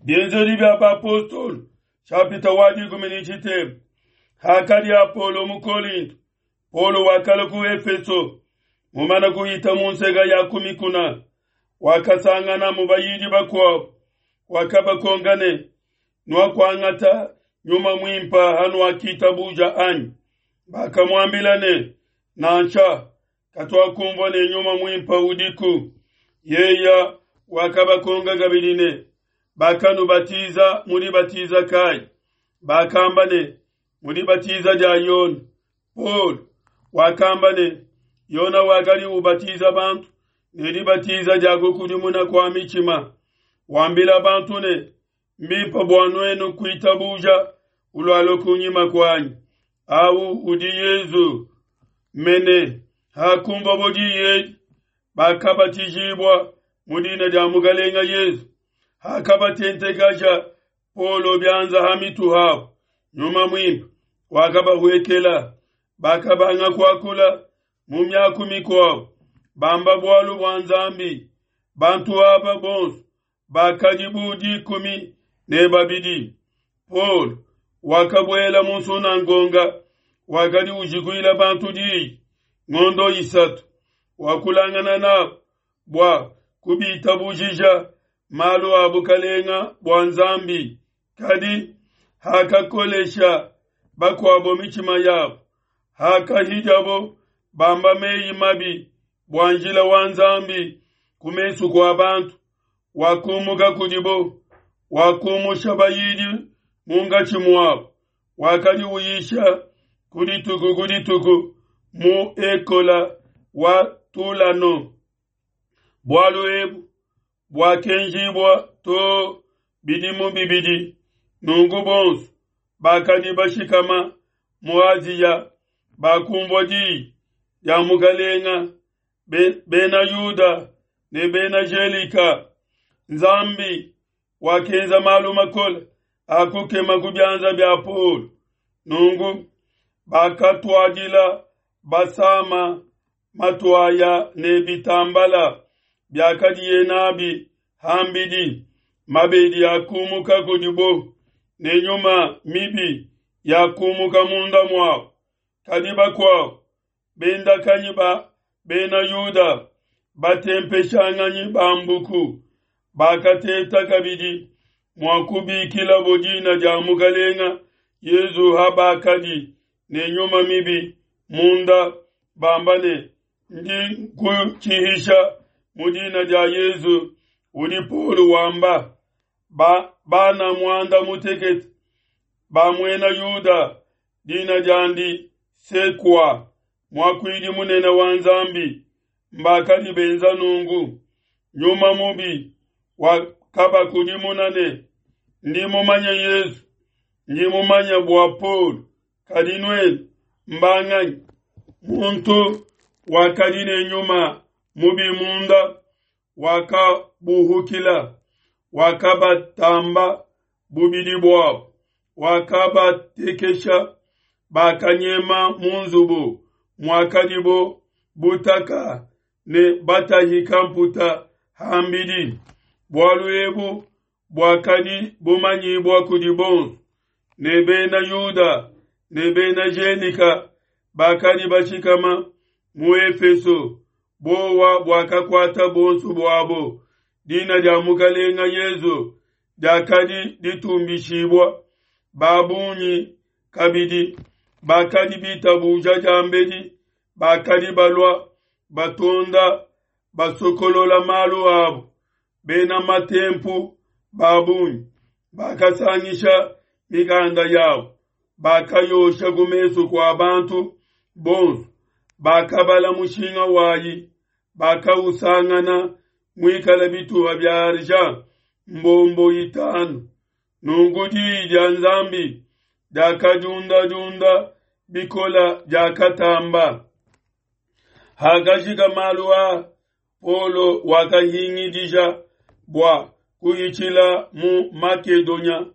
Bienzedi bia Bapostolo shapita wa 13. Hakadi Apolo mu Kolinto, Paulo wakala ku Efeso, mumana kuhita mu nseka ya ku mikuna, wakasanganamu bayidi bakuabo, wakabakonka ne, Nuakuangata Nyuma Muimpe hanuakitabuja anyi? Bakamuambila ne, Nansha, katuakumvua ne Nyuma Muimpe udiku. Yeya wakabakonka kabidi ne, Bakanubatiza mu dibatiza kayi? Bakamba ne, Mu dibatiza dia Yone. Paulo wakamba ne, Yona wakadi ubatiza bantu ne dibatiza dia kukudimuna kua mitshima, wambila bantu ne, Mbimpe bua nuenu kuitabuja ulualua kunyima kuanyi, au udi Yezu mene. Hakumvabo diyi edi, bakabatijibua mu dina dia Mukalenga Yezu. Hakabatentekaja Paulo bianza ha mitu habo, Nyuma Muimpe wakabahuekela, bakabanga kuakula mu miaku mikuabo, bamba bualu bua Nzambi. Bantu aba bonso bakadi bu 12. Paulo wakabuela mu nsunangonga, wakadi ujikuila bantu diyi ngondo 3, wakulangana nabo bua kubitabujija malu a bukalenga bua Nzambi. Kadi hakakolesha bakuabo mitshima yabo, hakahidiabo bamba meyi mabi bua njila wa Nzambi ku mesu kua bantu, wakumuka kudibo, wakumusha bayidi munkatshi muabo, wakadi uyisha ku dituku ku dituku mu ekola wa Tulano. Bualu ebu buakenjibua to bidimu bibidi, nunku bonso bakadi bashikama mu Asia bakumvua diyi dia Mukalenga, bena Yuda ne bena Gelika. Nzambi wakenza malu makole a kukema ku bianza bia Paulo. Nunku bakatuadila basama matuaya ne bitambala biakadiye nabi hambidi, mabedi akumuka kudibo ne nyuma mibi yakumuka munda muabo. Kadi bakuabo bendakanyi ba bena Yuda, batempeshanganyi ba mbuku, bakateta kabidi mua kubikilabo dina dia Mukalenga Yezu ha bakadi ne nyuma mibi munda, bamba ne, Ndi nkutshihisha mu dina dia Yezu udi Paulo wamba. Ba bana 18 ba muena Yuda, dina diandi Sekua, muakuidi munene wa Nzambi, mbakadi benza nungu. Nyuma mubi wakabakudimuna ne, Ndi mumanye Yezu, ndi mumanye bua Paulo, kadi nuenu mbanganyi? Muntu wakadi ne nyuma mubi munda wakabuhukila, wakabatamba bubidi buabo, wakabatekesha, bakanyema mu nzubu muakadibo butaka ne batahika mputa hambidi. Bualu ebu buakadi bumanyibua kudi bonso, ne bena Yuda ne bena Gelika bakadi bashikama mu Efeso. Buowa buakakuata bonso buabo. Dina dia Mukalenga Yezu diakadi ditumbishibua. Ba bungi kabidi bakadi bitabuja diambedi bakadi balua batonda basokolola malu abo. Bena matempu ba bungi bakasangisha mikanda yabo, bakayosha ku mesu kua bantu bonso. Bakabala mushinga wayi, bakausangana muikale bituha bia argent mbombo 5. Nunku diyi dia Nzambi diakadiundadiunda bikola, diakatamba. Hakajika malu a, Paulo wakahingidija bua kuhitshila mu Makedonia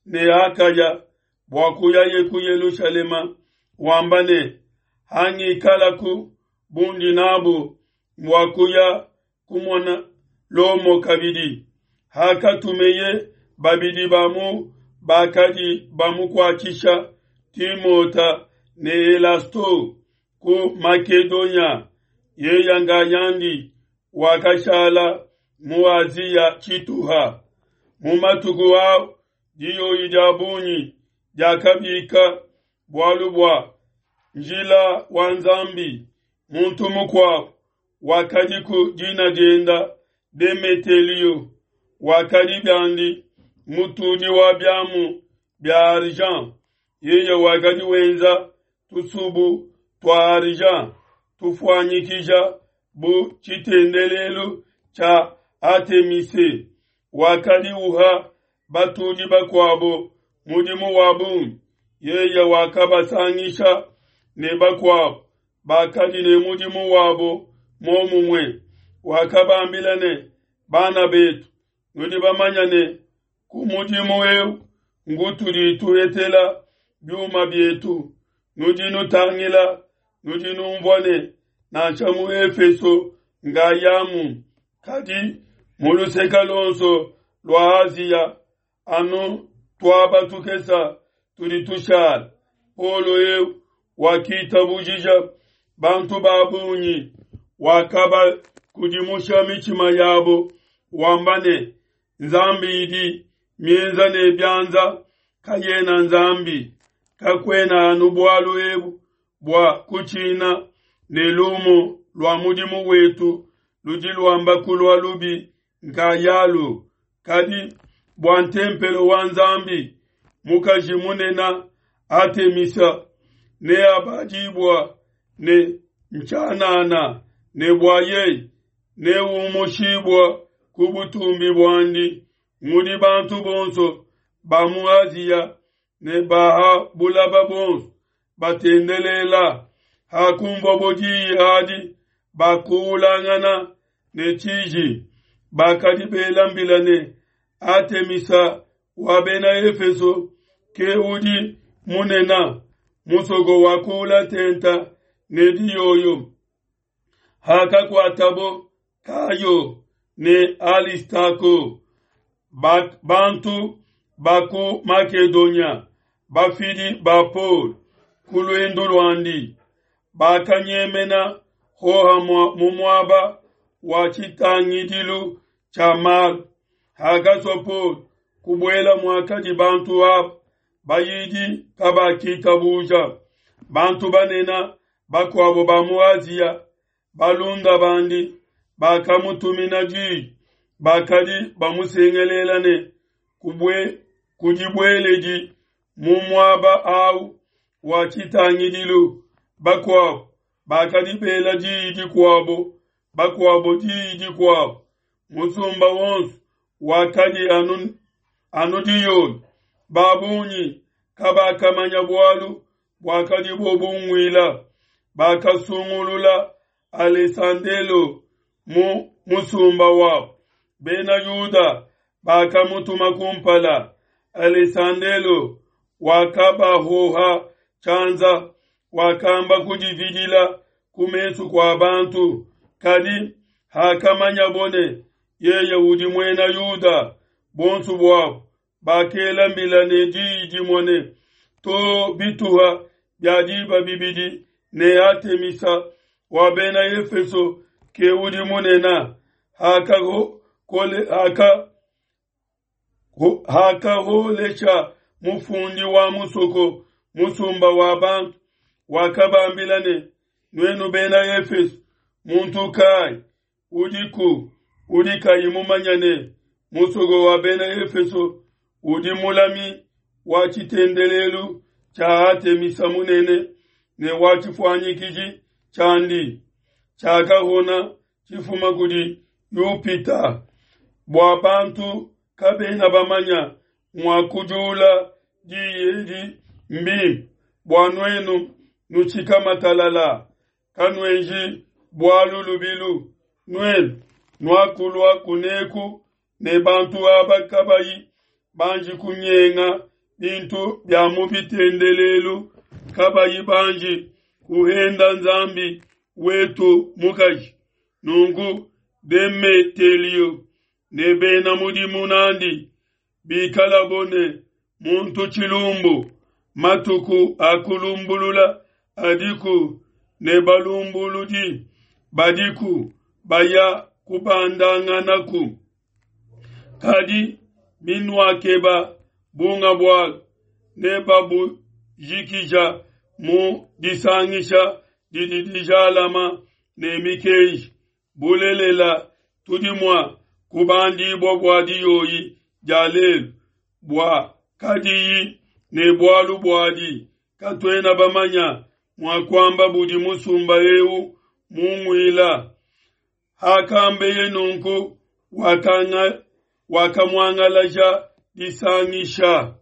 ne Akaya bua kuyaye ku Yelushalema, wamba ne, Hangikalaku bundi nabu mbua kuya kumona Lomo kabidi. Hakatumeye Babidi ba mu bakadi bamukuatshisha, Timota ne Elasto, ku Makedonia, yeya ngayandi wakashala mu Asia tshituha. Mu matuku au diyoyi dia bungi diakabika bualu bua njila wa Nzambi. Muntu mukuabu wakadiku dina dienda Demetelio, wakadi biandi mutudi wa biamu bia argent. Yeye wakadi wenza tusubu tua argent tufuanyikija bu tshitendelelu tshia Atemise. Wakadi uha batudi bakuabo mudimu wa bungi. Yeye wakabasangisha ne bakuabo bakadi ne mudimu wabo muomumue. Wakabambila ne, Bana betu, nudi bamanya ne ku mudimu eu ngutudi tuhetela biuma bietu. Nudi nutangila, nudi numvua ne nansha mu Efeso ngayamu, kadi mu luseke luonso lua Asia anu tuaba tukesa tudi tushala. Paulo eu wakitabujija bantu ba bungi, wakabakudimusha mitshima yabo, wamba ne, Nzambi idi mienza ne bianza kayena Nzambi. Kakuena anu bualu ebu bua kutshina ne lumu lua mudimu wetu ludi luamba kulua lubi nkayalu, kadi bua ntempelo wa Nzambi mukaji munene Atemisa neabadibua ne ntshianana, ne bua yeye neumushibua ku butumbi buandi mudi bantu bonso ba mu Asia ne ba ha bulaba bonso batendelela. Hakumvuabo diyi adi, bakuulangana ne tshiji, bakadi bela mbila ne, Atemisa wa Bena Efeso ke udi munene. Musoko wakuula tenta ne diyoyo. Hakakuatabo Kayo ne Alistako, bantu ba ku Makedonia, bafidi ba Paul ku luendu luandi, bakanyemena hohamue mu muaba wa tshitangidilu tshia malu. Hakasua Paul kubuela muakadi bantu aba, bayidi kabakitabuja. Bantu banene bakuabo ba mu Asia, balunda bandi, bakamutumina diyi, bakadi bamusengelela ne, Kudibueledi mu muaba au wa tshitangidilu. Bakuabo bakadi bela diyi dikuabo, bakuabo diyi dikuabo. Musumba wonso wakadi anu, anu diyoyo. Ba bungi kabakamanya bualu buakadibo bunguila. Bakasungulula Alesandelo mu musumba wabo. Bena Yuda bakamutuma kumpala. Alesandelo wakabahoha tshianza, wakamba kudividila ku mesu kua bantu. Kadi hakamanyabo ne yeye udi muena Yuda, bonso buabo bakela mbila ne diyi dimue ne, To bituha bia diba bibidi ne Atemisa wa Bena Efeso ke udi munene. Hakaholesha mufundi wa musoko musumba wa bantu, wakabambila ne, Nuenu Bena Efeso, muntu kai udiku udi kayi mumanya ne musoko wa Bena Efeso udi mulami wa tshitendelelu tshia Atemisa munene ne wa tshifuanyikiji tshiandi tshiakahona tshifuma kudi Yupita, bua bantu kabena bamanya mua kujula diyi edi mbimpe bua nuenu nutshikama talala, kanuenji bualu lubilu. Nuenu nuakulua kuneku ne bantu aba kabayi banji kunyenga bintu bia mu bitendelelu, kabayi banji kuhenda Nzambi wetu mukaji. Nunku Demetelio ne bena mudimu nandi Bikalabo ne muntu tshilumbu, matuku a kulumbulula adiku ne balumbuludi badiku baya kubandanganaku. Kadi binuakeba bunga bualu, nebabujikija mu disangisha didi dijalama ne mikenji. Bulelela, tudi mua kubandibua bua diyoyi dia lelu, bua kadiyi ne bualu buadi, katuena bamanya mua kuamba budi musumba eu munguila. Hakambeye nunku, wakamuangalaja disangisha.